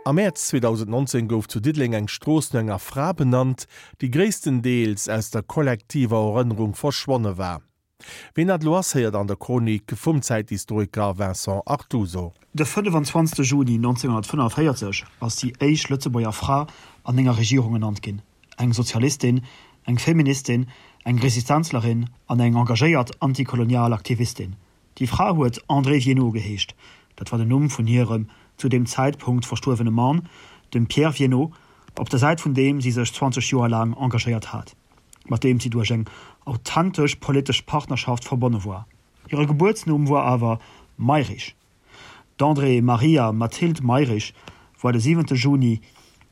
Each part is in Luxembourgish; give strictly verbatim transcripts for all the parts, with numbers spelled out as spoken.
Am Mäerz zweedausendnonzéng gouf zu Diddeleng eng Strooss no enger Fra benannt, déi gréisstendeels aus der kollektiver Erënnerung verschwonne war. Ween dat elo ass, héiert an der Chronik vum Zäithistoriker Vincent Artuso. De fënnefenzwanzegste Juni nonzénghonnertfënnefenvéierzeg ass déi éischt Lëtzebuerger Fra an enger Regierung ernannt ginn, eng Sozialistin, eng Feministin, eng Resistenzlerin an eng engagéiert antikolonial Aktivistin. Déi Fra huet Andrée Viénot geheescht, dat war den Numm vun hirem zu deem Zäitpunkt verstuerwene Mann, dem Pierre Viénot, op der Säit vun deem si sech zwanzeg Joer laang engagéiert hat, mat deem si duerch eng authentesch politesch Partnerschaft verbonne war. Hire Gebuertsnumm war awer Mayrisch. D'Andrée Maria Mathilde Mayrisch war de siwente Juni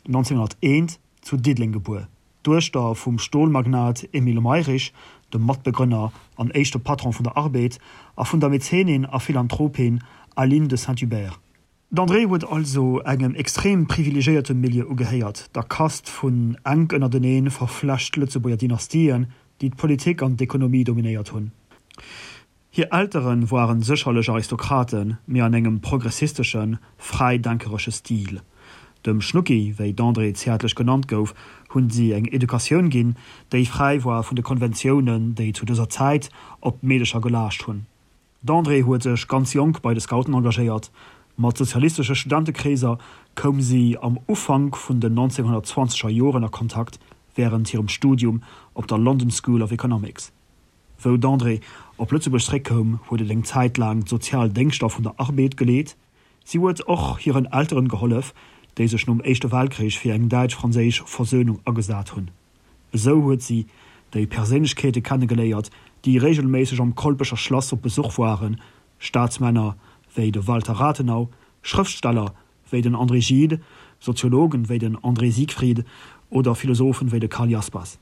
nonzénghonnerteent zu Diddeleng gebuer, d'Duechter vum Stolmagnat Emile Mayrisch, dem Matbegrënner an éischte Patron vun der Arbed, a vun der Mäzenin a Philanthropin Aline de Saint-Hubert. D'Andrée huet also engem extrem privilegéierte Milieu ugehéiert, der Kast vun enk ënnertenee verflecht Lëtzebuerger Dynastien, déi d'Politik an d'Ekonomie dominéiert hunn. Hir Eltere waren sécherlech Aristokraten, mee an engem progressisteschen, fräidenkeresche Stil. Dem Schnucki, wéi d'Andrée zäertlech genannt gouf, hunn si eng Educatioun ginn, déi fräi war vun de Konventiounen, déi zu dëser Zäit op d'Meedecher gelaascht hunn. D'Andrée huet sech ganz jonk bei de Scouten engagéiert. Mat sozialistesche Studentekreeser koum si am Ufank vun den nonzénghonnertzwanzeger Joren a Kontakt, wärend hirem Studium op der London School of Economics. Wou d'Andrée op Lëtzebuerg zeréckkoum, huet et eng Zäit laang d'sozial Déngschter vun der Arbed geleet. Si huet och hiren Elteren gehollef, déi sech nom Éischte Weltkrich fir eng däitsch-franséisch Versönung agesat hunn. Esou huet si déi Perséinlechkeete kennegeléiert, déi reegelméisseg am Kolpecher Schlass op Besuch waren, Staatsmänner wéi de Walter Rathenau, Schrëftsteller wéi den André Gide, Soziologen wéi den André Siegfried oder Philosophen wéi de Karl Jaspers.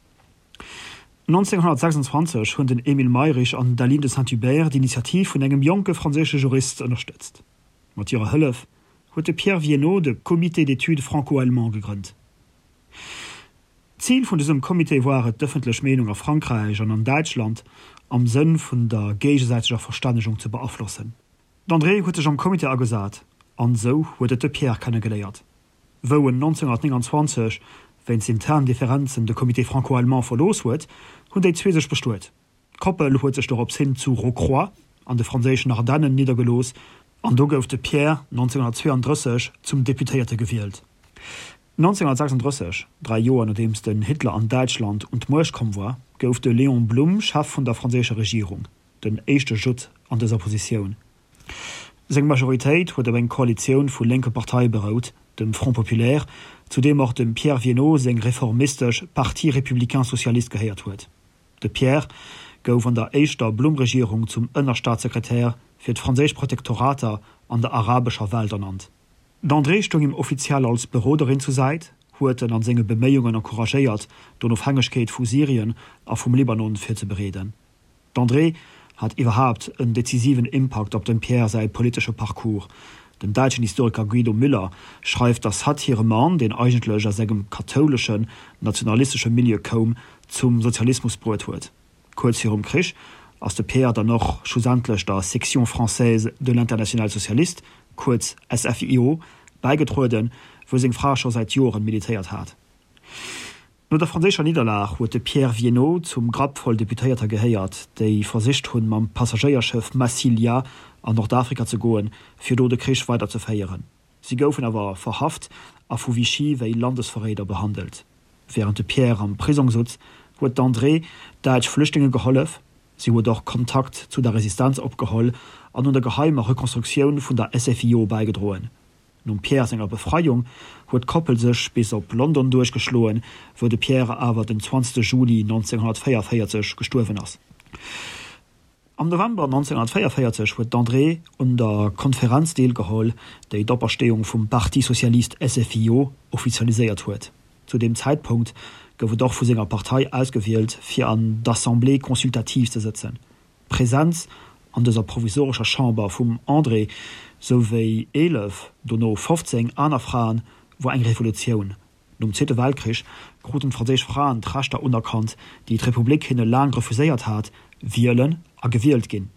nonzénghonnertsechsundzwanzeg hunn den Émile Mayrisch an d'Aline de Saint-Hubert d'Initiativ vun engem jonke franséische Jurist ënnerstëtzt. Mat hirer Hëllef huet de Pierre Viénot de Comité d'études franco-allemand gegrënnt. D'Zil vun dësem Comité war et, d'ëffentlech Meenung a Frankräich an an Däitschland am Sënn vun der géigesäiteger Verstännegung ze beaflossen. D'Andrée huet sech am Comité agesat an esou huet et de Pierre kennegeléiert. Wou en nonzénghonnertnénganzwanzeg wéinst internen Differenzen de Comité franco-allemand verlooss huet, hunn déi zwee sech bestuet. D'Koppel huet sech dorops hin zu Rocroi an de franséischen Ardennen niddergelooss an do gouf de Pierre nonzénghonnertzweeandrësseg zum Deputéierte gewielt. nonzénghonnertsechsandrësseg, dräi Joer nodeems den Hitler an Däitschland un d'Muecht komm war, gouf de Léon Blum Chef vun der franséischer Regierung, den éischte Judd an dëser Positioun. Seng Majoritéit huet op eng Koalitioun vu lénke Parteie berout, dem Front populaire, zu deem och dem Pierre Viénot seng reformistesch Parti républicain socialiste gehéiert huet. De Pierre gouf an der éischter Blum-Regierung zum Ënnerstaatssekretär fir d'franséisch Protektorater an der arabescher Welt ernannt. D'Andrée stoung him offiziell als Beroderin zur Säit, huet en an senge Beméiungen encouragéiert, d'Onofhängegkeet vu Syrien a vum Libanon virzebereeden. D'Andrée hat iwwerhaapt en decisiven Impakt op dem Pierre säi politesche Parcours. Den däitschen Historiker Guido Müller schreift, datt hatt hire Mann, deen eigentlech aus engem kathouleschen, nationalistesche Milieu koum, zum Sozialismus bruet huet. Kuerz virum Krich ass de Pierre dann och schlussendlech der Section française de l'Internationale socialiste, kuerz S F I O, bäigetrueden, wou seng Fra scho säit Joren militéiert hat. No der franséischer Nidderlag huet de Pierre Viénot zum Grapp voll Deputéierter gehéiert, déi versicht hunn, mam Passagéierschëff Massilia an Nordafrika ze goen, fir do de Krich weiderzeféieren. Si goufen awer verhaft a vu Vichy wéi Landesverréider behandelt. Wärend de Pierre am Prisong sutz, huet d'Andrée däitsch Flüchtlinge gehollef. Si huet och Kontakt zu der Resistenz opgeholl an un der geheimer Rekonstruktioun vun der S F I O bäigedroen. Nom Pierre senger Befreiung huet d'Koppel sech bis op London duerchgeschloen, wou de Pierre awer den zwanzegste Juli nonzénghonnertvéiervéierzeg gestuerwen ass. Am November nonzénghonnertvéiervéierzeg huet d'Andrée un der Konferenz deelgeholl, déi d'Opersteeung vum Parti socialiste S F I O offizialiséiert huet. Zu deem Zäitpunkt gouf et och vu senger Partei ausgewielt, fir an d'Assemblée consultative ze sëtzen. D'Presenz an dëser provisorescher Chamber vum Andrée, sou wéi eelef, dono fofzéng aner Fraen, wor eng Revolutioun. Nom Zweete Weltkrich kruten d'franséisch Fraen d'Rechter unerkannt, déi d'Republik hinne laang refuséiert hat, wielen a gewielt ginn.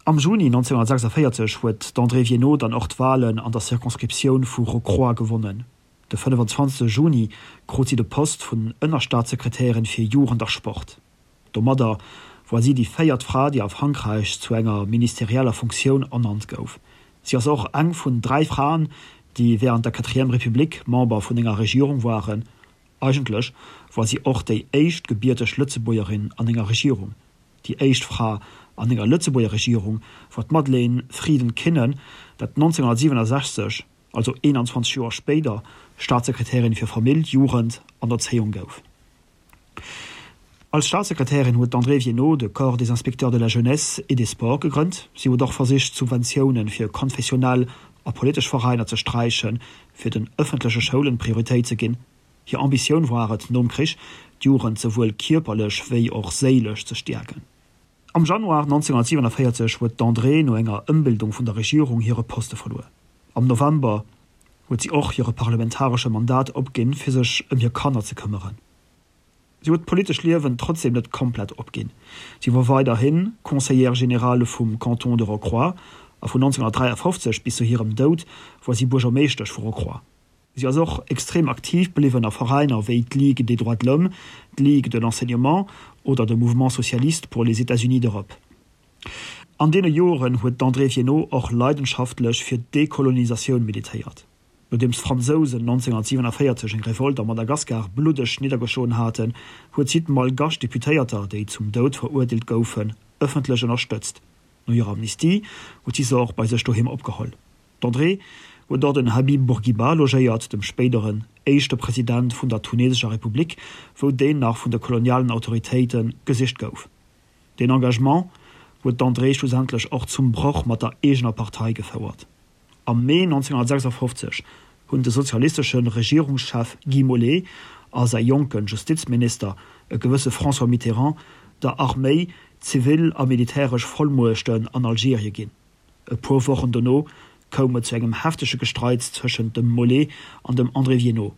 Am Juni neunzehnhundertsechsundvéierzeg huet d'Andrée Viénot dann och d'Walen an der Circonscriptioun vu Rocroi gewonnen. De fënnefenzwanzegste Juni krut si de Poste vun Ënnerstaatssekretärin fir Jugend a Sport. Domadder war si déi véiert Fra, déi a Frankräich zu enger ministerieller Funktioun ernannt gouf. Si ass och eng vun dräi Fraen, déi wärend der Quatrième République Member vun enger Regierung waren. Eigentlech war si och déi éischt gebierteg Lëtzebuergerin an enger Regierung. Déi éischt Fra an enger Lëtzebuerger Regierung war d'Madeleine Frieden-Kinnen, dat neunzehnhundertsiewenundsechzeg, also eenanzwanzeg Joer spéider, Staatssekretärin fir Famill, Jugend an Erzéiung gouf. Als Staatssekretärin huet d'Andrée Viénot de Corps des inspecteurs de la jeunesse et des sports gegrënnt. Si huet och versicht, Subventioune fir konfessionell a politesch Veräiner ze sträichen, fir den ëffentleche Schoulen Prioritéit ze ginn. Hir Ambitioun war et, nom Krich d'Jugend souwuel kierperlech wéi och séilesch ze stäerken. Am Januar neunzehnhundertsiewenundvéierzeg huet d'Andrée no enger Ëmbildung vun der Regierung hire Poste verluer. Am November huet si och hire parlamentaresche Mandat opginn, fir sech ëm hir Kanner ze këmmeren. Si huet d'politescht Liewen trotzdeem net komplett opginn. Si war weiderhi Conseillère générale vum Canton de Rocroi a vun neunzehnhundertdräiafofzeg bis zu hirem Doud war si Buergermeeschtesch vu Rocroi. Si ass och extrem aktiv bliwwen a Veräiner wéi d'Ligue des droits de l'homme, d'Ligue de l'enseignement oder de Mouvement socialiste pour les États-Unis d'Europe. An deene Joren huet d'Andrée Viénot och leidenschaftlech fir d'Dekolonisatioun militéiert. Nodeems d'Fransousen neunzehnhundertsiewenundvéierzeg eng Revolt a Madagaskar bluddeg niddergeschloen haten, huet si d'malgasch Deputéierter, déi zum Doud verurteelt goufen, ëffentlech ënnerstëtzt. No hirer Amnistie huet si se och bei sech doheem opgeholl. D'Andrée huet och den Habib Bourguiba logéiert, dem spéideren éischte President vun der tunesescher Republik, wou deen nach vun de kolonialen Autoritéite gesicht gouf. Deen Engagement huet d'Andrée schlussendlech och zum Broch mat der eegener Partei gefouert. Am Mee neunzehnhundertsechsundfofzeg hunn de sozialistesche Regierungschef Guy Mollet a säi jonke Justizminister, e gewësse François Mitterrand, der Arméi zivil a militäresch Vollmuechten an Algerie ginn. E puer Wochen dono koum et zu engem heftege Gestreits tëschent dem Mollet an dem André Viénot.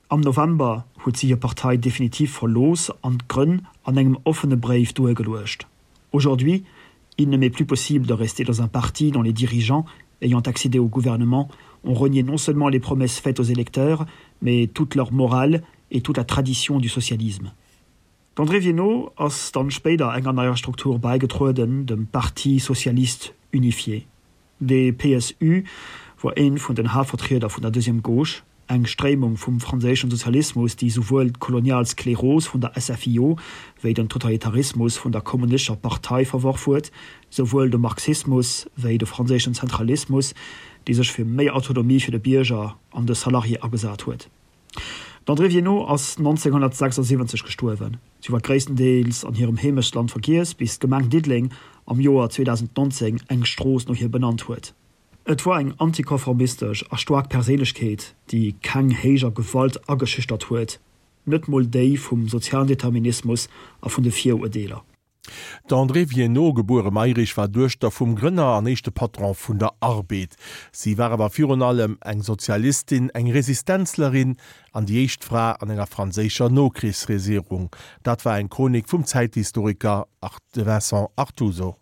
Am November huet si hir Partei definitiv verlooss an d'Grënn an engem offene Bréif duergeluecht. Aujourd'hui, il ne m'est plus possible de rester dans un parti dont les dirigeants, ayant accédé au gouvernement, ont renié non seulement les promesses faites aux électeurs, mais toute leur morale et toute la tradition du socialisme. D'Andrée Viénot ass dann spéider enger neier Struktur bäigetrueden, dem Parti socialiste unifié. De P S U war ee vun den Haaptvertrieder vun der Deuxième Gauche, eng Stréimung vum franséischen Sozialismus, déi souwuel d'kolonial Skleros vun der S F I O wéi den Totalitarismus vun der Kommunistescher Partei verworf huet, souwuel de Marxismus wéi de franséischen Zentralismus, déi sech fir méi Autonomie fir de Bierger an de Salarié agesat huet. D'Andrée Viénot ass neunzehnhundertsechsundsiwwenzeg gestuerwen. Si war gréisstendeels an hirem Heemechtsland vergiess, bis d'Gemeng Diddeleng am Joer zweedausendnonzéng eng Strooss no hir benannt huet. Et war eng antikonformistesch a staark Perséinlechkeet, déi keng héijer Gewalt ageschüchtert huet, net mol déi vum sozialen Determinismus a vun de Virurteeler. D'Andrée Viénot, gebuere Mayrisch, war Duechter vum Grënner an éischte Patron vun der Arbed. Si war awer virun allem eng Sozialistin, eng Resistenzlerin an déi éischt Fra an enger franséischer Nokrichsregierung. Dat war eng Chronik vum Zäithistoriker Vincent Artuso.